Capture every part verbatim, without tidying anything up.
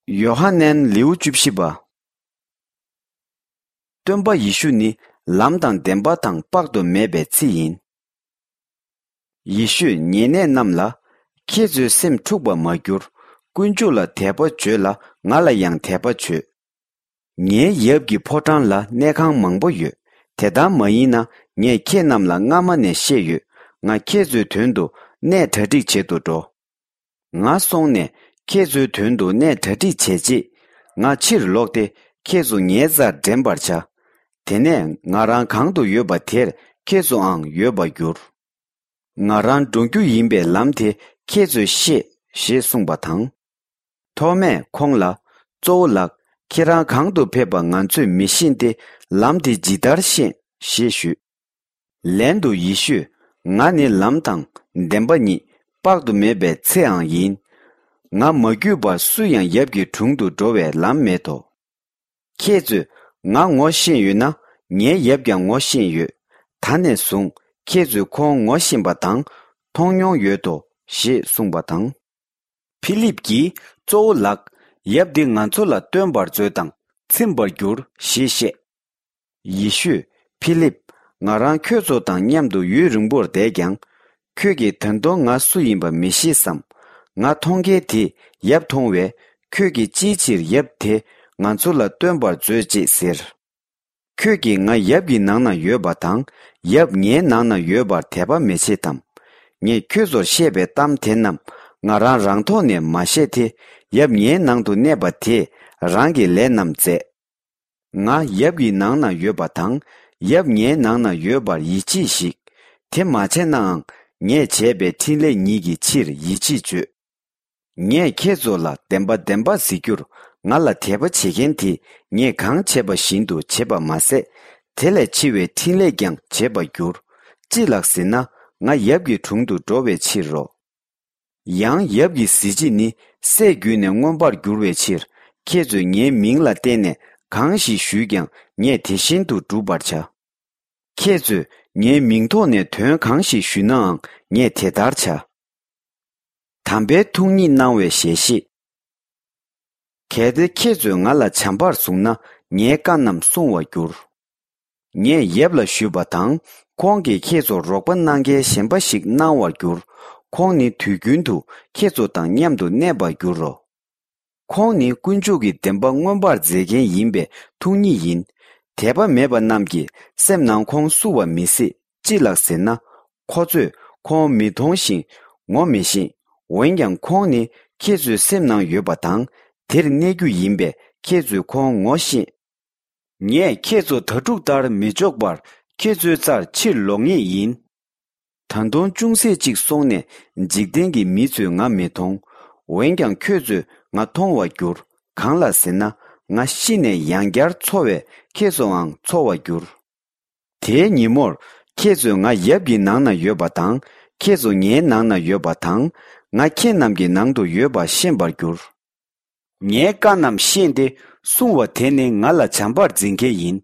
ཡོ་ཧ་ནན་ལེའུ་བཅུ་བཞི་པ། སྟོན་པ་ཡེ་ཤུ་ནི་ལམ་དང་བདེན་པ་དང་དཔག་ཏུ་མེད་པའི་ཚེ་ཡིན། ཡེ་ཤུས་ཉེ་གནས་རྣམས་ལ། ཁྱེད་ཚོའི་སེམས་འཁྲུགས་པར་མ་གྱུར། དཀོན་མཆོག་ལ་དད་པ་བྱོས་ལ་ང་ལ་ཡང་དད་པ་བྱོས། ངའི་ཡབ་ཀྱི་ཕོ་བྲང་ལ་གནས་ཁང་མང་པོ་ཡོད། དེ་ལྟར་མ་ཡིན་ན་ངས་ཁྱེད་རྣམས་ལ་སྔ་མ་ནས་བཤད་ཡོད། ང་ཁྱེད་ཚོའི་དོན་དུ་གནས་གྲ་སྒྲིག་བྱེད་དུ་འགྲོ། ང་སོང་ནས་ཁྱེད་ཚོའི་དོན་དུ་གནས་གྲ་སྒྲིག་བྱས་རྗེས། ང་ཕྱིར་ལོག་སྟེ་ཁྱེད་ཚོ་ངའི་རྩར་འདྲེན་པར་བྱ། དེ་ནས་ང་རང་གང་དུ་ཡོད་པ་དེར་ཁྱེད་ཚོའང་ཡོད་པར་འགྱུར། ང་རང་འགྲོ་རྒྱུ་ཡིན་པའི་ལམ་དེ་ཁྱེད་ཚོས་ཤེས་ཞེས་གསུངས་པ་དང་། ཐོ་མས་ཁོང་ལ། གཙོ་བོ་ལགས། ཁྱེད་རང་གང་དུ་ཕེབས་པ་ང་ཚོས་མི་ཤེས་ཏེ་ལམ་དེ་ཇི་ལྟར་ཤེས་ཞེས་ཞུས། ལན་དུ་ཡེ་ཤུས། ང་ནི་ལམ་དང་བདེན་པ་ཉིད་དཔག་ཏུ་མེད་པའི་ཚེའང་ཡིན། ང་མ་བརྒྱུད་པར་སུ་ཡང་ཡབ་ཀྱི་དྲུང་དུ་འགྲོ་བའི་ལམ་མེད་དོ། ཁྱེད་ཚོས་ང་ངོ་ཤེས་ཡོད་ན་ངའི་ཡབ་ཀྱང་ངོ་ཤེས་ཡོད། ད་ནས་བཟུང་ཁྱེད་ཚོས་ཁོང་ངོ་ཤེས་པ་དང་མཐོང་མྱོང་ཡོད་དོ་ཞེས་གསུངས་པ་དང་། ཕི་ལིབ་ཀྱིས། གཙོ་བོ་ལགས། ཡབ་འདི་ང་ཚོ་ལ་སྟོན་པར་མཛོད་དང་ཚིམ་པར་འགྱུར་ཞེས་བཤད། ཡེ་ཤུས། ཕི་ལིབ། ང་རང་ཁྱོད་ཚོ་དང་མཉམ་དུ་ཡུན་རིང་པོར་བསྡད་ཀྱང་། ཁྱོད་ཀྱིས་ད་དུང་ང་སུ་ཡིན་པ་མི་ཤེས་སམ། ང་མཐོང་མཁན་དེས་ཡབ་མཐོང་བས། ཁྱོད་ཀྱིས་ཅིའི་ཕྱིར་ཡབ་དེ་ང་ཚོ་ལ་སྟོན་པར་མཛོད་ཅེས་ཟེར། ཁྱོད་ཀྱིས་ང་ཡབ་ཀྱི་ནང་ན་ཡོད་པ་དང་ཡབ་ངའི་ནང་ན་ཡོད་པར་དད་པ་མི་བྱེད་དམ། ངས་ཁྱོད་ཚོར་བཤད་པའི་གཏམ་དེ་རྣམས་ང་རང་རང་ཐོག་ནས་མ་བཤད་དེ། ཡབ་ངའི་ནང་དུ་གནས་པ་དེས་རང་གི་ལས་རྣམས་མཛད། ང་ཡབ་ཀྱི་ནང་ན་ཡོད་པ་དང་ཡབ་ངའི་ནང་ན་ཡོད་པར་ཡིད་ཆེས་ཤིག། དེ་མ་བྱས་ནའང་ངས་བྱས་པའི་འཕྲིན་ལས་ཉིད་ཀྱི་ཕྱིར་ཡིད་ཆེས་བྱོས། ངས་ཁྱེད་ཚོ་ལ་བདེན་པ་བདེན་པ་ཟེར་རྒྱུར། ང་ལ་དད་པ་བྱེད་མཁན་དེས་ངས་གང་བྱས་པ་བཞིན་དུ་བྱེད་པ་མ་ཟད། དེ་ལས་ཆེ་བའི་འཕྲིན་ལས་ཀྱང་བྱེད་པར་འགྱུར། ཅི་ལགས་ཟེར་ན། ང་ཡབ་ཀྱི་དྲུང་དུ་འགྲོ་བའི་ཕྱིར་རོ། ཡང་ཡབ་ཀྱི་གཟི་བརྗིད་ནི་སྲས་བརྒྱུད་ནས་མངོན་པར་འགྱུར་བའི་ཕྱིར། ཁྱེད་ཚོས་ངའི་མིང་ལ་བརྟེན་ནས་གང་ཞིག་ཞུས་ཀྱང་ངས་དེ་བཞིན་དུ་བསྒྲུབ་པར་བྱ། ཁྱེད་ཚོས་ངའི་མིང་ཐོག་ནས་དོན་གང་ཞིག་ཞུས་ནའང་ངས་དེ་ལྟར་བྱ། དམ་པའི་ཐུགས་ཉིད་གནང་བའི་ཞལ་བཞེས། གལ་ཏེ་ཁྱེད་ཚོས་ང་ལ་བྱམས་པར་བཟུང་ན་ངའི་བཀའ་རྣམས་སྲུང་བར་འགྱུར། ངས་ཡབ་ལ་ཞུས་པ་དང་ཁོང་གིས་ཁྱེད་ཚོར་རོགས་པ་གནང་མཁན་གཞན་པ་ཞིག་གནང་བར་འགྱུར། ཁོང་ནི་དུས་རྒྱུན་དུ་ཁྱེད་ཚོ་དང་མཉམ་དུ་གནས་པར་འགྱུར་རོ། ཁོང་ནི་དཀོན་མཆོག་གི་བདེན་པ་མངོན་པར་མཛད་མཁན་ཡིན་པའི་ཐུགས་ཉིད་ཡིན། དད་པ་མེད་པ་རྣམས་ཀྱི་སེམས་ནང་ཁོང་བསུ་བ་མི་སྲིད། ཅི་ལགས་ཟེར་ན། ཁོ་ཚོས་ཁོང་མི་མཐོང་ཞིང་ངོ་མི་ཤེས། འོན་ཀྱང་ཁོང་ནི་ཁྱེད་ཚོའི་སེམས་ནང་ཡོད་པ་དང་དེར་གནས་རྒྱུ་ཡིན་པས་ཁྱེད་ཚོས་ཁོང་ངོ་ཤེས། ངས་ཁྱེད་ཚོ་དྭ་ཕྲུག་ལྟར་མི་འཇོག་པར་ཁྱེད་ཚོའི་རྩར་ཕྱིར་ལོག་ངེས་ཡིན། ད་དུང་ཅུང་ཟད་ཅིག་སོང་ནས་འཇིག་རྟེན་གྱི་མི་ཚོས་ང་མི་མཐོང་། འོན་ཀྱང་ཁྱོད་ཚོས་ང་མཐོང་བར་འགྱུར། གང་ལགས་ཟེར་ན། ང་ཤི་ནས་ཡང་བསྐྱར་འཚོ་བས་ཁྱེད་ཚོའང་འཚོ་བར་འགྱུར། དེའི་ཉིན་མོར་ཁྱེད་ཚོས་ང་ཡབ་ཀྱི་ནང་ན་ཡོད་པ་དང་ཁྱེད་ཚོ་ངའི་ནང་ན་ཡོད་པ་དང་། ང་ཁྱེད་རྣམས་ཀྱི་ནང་དུ་ཡོད་པ་ཤེས་པར་འགྱུར། ངའི་བཀའ་རྣམས་ཤེས་ཏེ་སྲུང་བ་དེ་ནི་ང་ལ་བྱམས་པར་འཛིན་མཁན་ཡིན།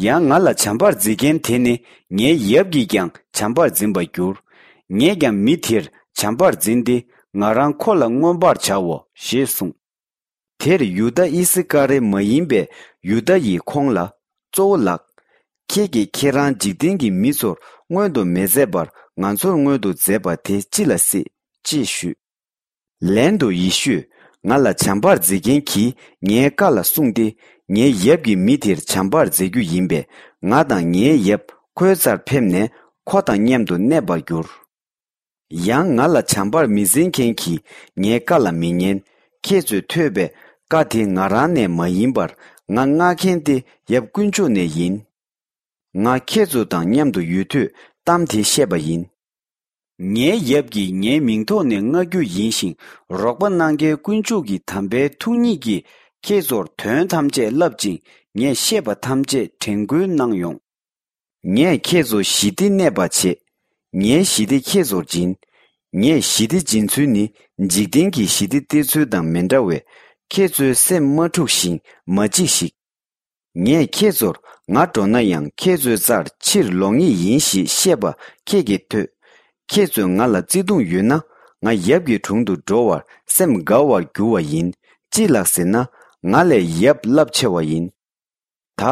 ཡང་ང་ལ་བྱམས་པར་འཛིན་མཁན་དེ་ནི་ངའི་ཡབ་ཀྱིས་ཀྱང་བྱམས་པར་འཛིན་པར་འགྱུར། ངས་ཀྱང་མི་དེར་བྱམས་པར་འཛིན་ཏེ་ང་རང་ཁོ་ལ་མངོན་པར་བྱའོ་ཞེས་གསུངས། དེར་ཡུ་དཱ་ཨི་སི་ཀ་རེ་མ་ཡིན་པའི་ཡུ་དཱ་ཡིས་ཁོང་ལ། གཙོ་བོ་ལགས། ཁྱེད་ཀྱིས་ཁྱེད་རང་འཇིག་རྟེན་གྱི་མི་ཚོར་མངོན་དུ་མི་མཛད་པར་ང་ཚོར་མངོན་དུ་མཛད་པ་དེ་ཅི་ལ་སྲིད་ཅེས་ཞུས། ལན་དུ་ཡེ་ཤུས། ང་ལ་བྱམས་པར་མཛད་མཁན་གྱིས་ངའི་བཀའ་ལ་བསྲུངས་ཏེ། ངའི་ཡབ་ཀྱི་མི་དེར་བྱམས་པར་མཛད་རྒྱུ་ཡིན་པས། ང་དང་ངའི་ཡབ་ཁོའི་རྩར་ཕེབས་ནས་ཁོ་དང་མཉམ་དུ་གནས་པར་འགྱུར། ཡང་ང་ལ་བྱམས་པར་མི་འཛིན་མཁན་གྱིས་ངའི་བཀའ་ལ་མི་ཉན། ཁྱེད་ཚོས་ཐོས་པའི་བཀའ་དེ་ང་རང་ནས་མ་ཡིན་པར་ང་མངགས་མཁན་དེ་ཡབ་དཀོན་མཆོག་ནས་ཡིན། ང་ཁྱེད་ཚོ་དང་མཉམ་དུ་ཡོད་དུས་གཏམ་དེ་བཤད་པ་ཡིན། ངའི་ཡབ་ཀྱིས་ངའི་མིང་ཐོག་ནས་མངགས་རྒྱུ་ཡིན་ཞིང་། རོགས་པ་གནང་མཁན་དཀོན་མཆོག་གི་དམ་པའི་ཐུགས་ཉིད་ཀྱིས་ཁྱེད་ཚོར་དོན་ཐམས་ཅད་བསླབ་ཅིང་། ངས་བཤད་པ་ཐམས་ཅད་དྲན་སྐུལ་གནང་ཡོང་། ངས་ཁྱེད་ཚོ་ཞི་བདེ་གནས་པ་བྱེད། ངའི་ཞི་བདེ་ཁྱེད་ཚོར་སྦྱིན། ངས་ཞི་བདེ་སྦྱིན་ཚུལ་ནི་འཇིག་རྟེན་གྱི་ཞི་བདེ་སྟེར་ཚུལ་དང་མི་འདྲ་བས། ཁྱེད་ཚོའི་སེམས་མ་འཁྲུགས་ཤིང་མ་འཇིགས་ཤིག། ངས་ཁྱེད་ཚོར་ང་འགྲོ་ན་ཡང་ཁྱེད་ཚོའི་རྩར་ཕྱིར་ལོག་ངེས་ཡིན་ཞེས་བཤད་པ་ཁྱེད་ཀྱིས་ཐོས། ཁྱེད་ཚོས་ང་ལ་བརྩེ་གདུང་ཡོད་ན། ང་ཡབ་ཀྱི་དྲུང་དུ་འགྲོ་བར་སེམས་དགའ་བར་འགྱུར་བ་ཡིན། ཅི་ལགས་ཟེར་ན། ང་ལས་ཡབ་རླབས་ཆེ་བ་ཡིན། ད་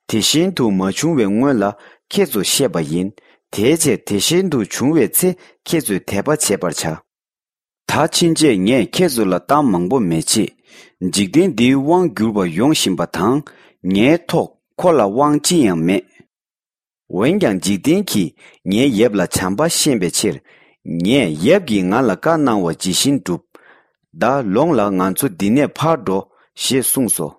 དེ་བཞིན་དུ་མ་བྱུང་བའི་སྔོན་ལ་ཁྱེད་ཚོ་བཤད་པ་ཡིན། དེའི་ཕྱིར་དེ་བཞིན་དུ་བྱུང་བའི་ཚེ་ཁྱེད་ཚོས་དད་པ་བྱེད་པར་བྱ། ད་ཕྱིན་ཆད་ངས་ཁྱེད་ཚོ་ལ་གཏམ་མང་པོ་མི་བྱེད། འཇིག་རྟེན་འདིའི་དབང་བསྒྱུར་བར་ཡོང་བཞིན་པ་དང་། ངའི་ཐོག་ཁོ་ལ་དབང་ཅི་ཡང་མེད། འོན་ཀྱང་འཇིག་རྟེན་གྱིས་ངའི་ཡབ་ལ་བྱམས་པ་ཤེས་པའི་ཕྱིར། ངས་ཡབ་ཀྱིས་ང་ལ་བཀའ་གནང་བ་ཇི་བཞིན་བསྒྲུབ། ད་ལོངས་ལ། ང་ཚོ་འདི་ནས་ཕར་འགྲོ་ཞེས་གསུངས་སོ།